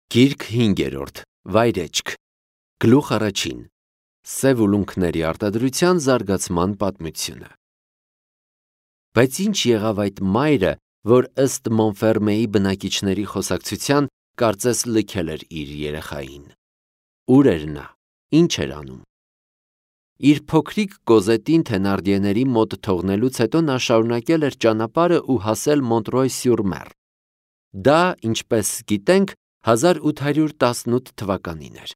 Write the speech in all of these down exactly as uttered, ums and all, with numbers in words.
Գիրք հինգերորդ. Վայրեջք. Գլուխ առաջին. Սև ուլունքների արտադրության զարգացման պատմությունը։ Բայց ինչ եղավ այդ մայրը, որ ըստ Մոնֆերմեի բնակիչների խոսակցության կարծես լքել էր իր երեխային։ Ուր էր նա, ինչ էր անում։ Իր փոքրիկ Կոզետին Թենարդիեների մոտ թողնելուց հետո նա շարունակել էր ճանապարհը ու հասել Մոնտրոյ-սյուր-Մեր։ Դա, ինչպես գիտենք, հազար ութ հարյուր տասնութ թվականին էր։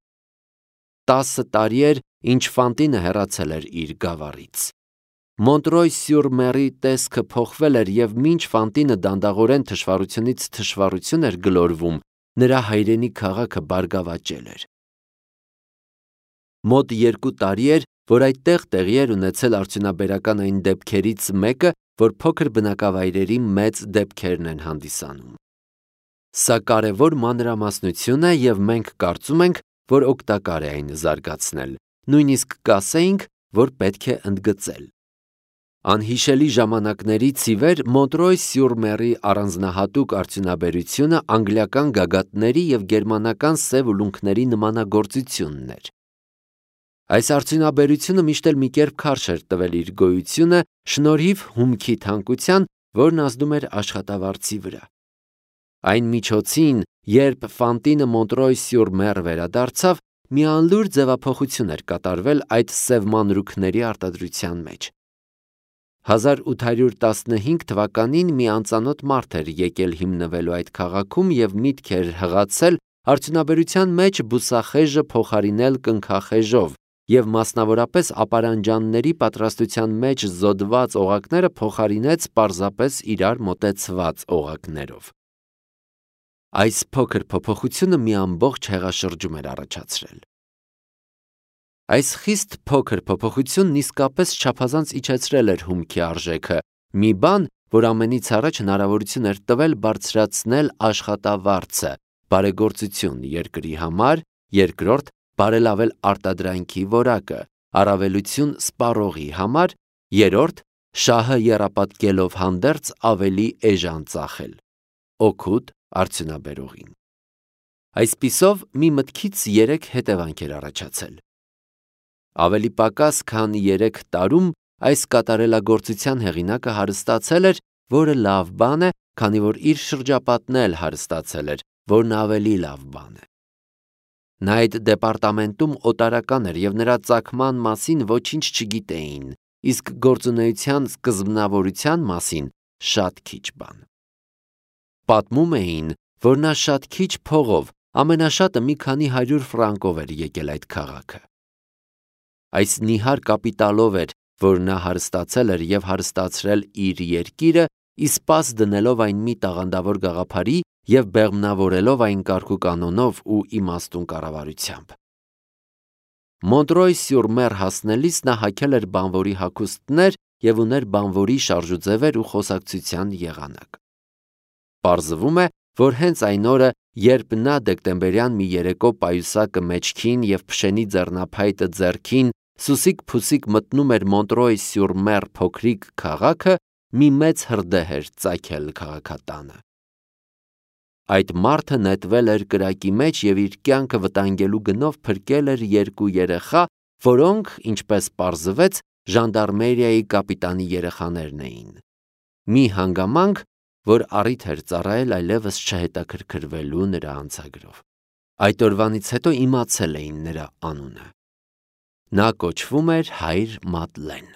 Տասը տարի էր, ինչ Ֆանտինը հեռացել էր իր գավառից։ Մոնտրոյ-սյուր-Մերի տեսքը փոխվել էր և մինչ Ֆանտինը դանդաղորեն թշվառությունից թշվառություն էր գլորվում, նրա հայրենի քաղաքը բարգավաճել էր։ Մոտ երկու տարի էր, որ այդտեղ տեղի էր ունեցել արդյունաբերական այն դեպքերից մեկը, որ փոքր բնակավայրերի մեծ դեպքերն են հանդիսանում։ Սա կարևոր մանրամասնություն է և մենք կարծում ենք, որ օգտակար է այն զարգացնել, նույնիսկ կասեինք, որ պետք է ընդգծել։ Անհիշելի ժամանակներից ի վեր Մոնտրոյ-սյուր-Մերի առանձնահատուկ արդյունաբերությունը անգլիական գագաթների և գերմանական սև ուլունքների նմանագործությունն էր։ Այս արդյունաբերությունը միշտ էլ մի կերպ քարշ էր տվել իր գոյությունը շնորհիվ հումքի թանկության, որն ազդում էր աշխատավարձի վրա։ Այն միջոցին, երբ Ֆանտինը Մոնտրոյ-սյուր-Մեր վերադարձավ, մի անլուր ձևափոխություն էր կատարվել այդ սև մանրուքների արտադրության մեջ։ հազար ութ հարյուր տասնհինգ թվականին մի անծանոթ մարդ էր եկել հիմնվելու այդ քաղաքում և միտք էր հղացել արդյունաբերության մեջ բուսախեժը փոխարինել կնքախեժով և մասնավորապես ապարանջանների պատրաստության մեջ զոդված օղակները փոխարինեց պարզապես իրար մոտեցված օղակներով։ Այս փոքր փոփոխությունը մի ամբողջ հեղաշրջում էր առաջացրել։ Այս խիստ փոքր փոփոխությունն իսկապես չափազանց իջեցրել էր հումքի արժեքը, մի բան, որ ամենից առաջ հնարավորություն էր տվել բարձրացնել աշխատավարձը, բարեգործություն երկրի համար, երկրորդ՝ բարելավել արտադրանքի որակը, առավելություն սպառողի համար, երրորդ՝ շահը եռապատկելով հանդերձ ավելի էժան ծախել, օգուտ արդյունաբերողին։ Այսպիսով, մի մտքից երեք հետևանք էր առաջացել։ Ավելի պակաս քան երեք տարում այս կատարելագործության հեղինակը հարստացել էր, որը լավ բան է, քանի որ իր շրջապատն էլ հարստացել էր, որն ավելի լավ բան է։ Նա այդ դեպարտամենտում օտարական էր և նրա ծագման մասին ոչինչ չգիտեին, իսկ գործունեության սկզբնավորության մասին շատ քիչ բան։ Պատմում էին, որ նա շատ քիչ փողով, ամենաշատը մի քանի հարյուր ֆրանկով էր եկել այդ քաղաքը։ Այս նիհար կապիտալով էր, որ նա հարստացել էր և հարստացրել իր երկիրը, ի սպաս դնելով այն մի տաղանդավոր գաղափարի և բեղմնավորելով այն կարգուկանոնով ու իմաստուն կառավարությամբ։ Մոնտրոյ-սյուր-Մեր հասնելիս նա հագել էր բանվորի հագուստներ և ուներ բանվորի շարժուձևեր ու խոսակցության եղանակ։ Պարզվում է, որ հենց այն օրը, երբ նա դեկտեմբերյան մի երեկո պայուսակը մեջքին և փշենի ձեռնափայտը ձեռքին սուսիկ-փուսիկ մտնում էր Մոնտրոյ-սյուր-Մեր փոքրիկ քաղաքը, մի մեծ հրդեհ էր ծագել քաղաքատանը։ Այդ մարդը նետվել էր կրակի մեջ և իր կյանքը վտանգելու գնով փրկել էր երկու երեխա, որոնք, ինչպես պարզվեց, ժանդարմերիայի կապիտանի երեխաներն էին։ Մի հանգամանք, որ առիթ էր ծառայել այլևս չհետաքրքրվելու նրա անցագրով։ Այդ օրվանից հետո իմացել էին նրա անունը։ Նա կոչվում էր Հայր Մադլեն։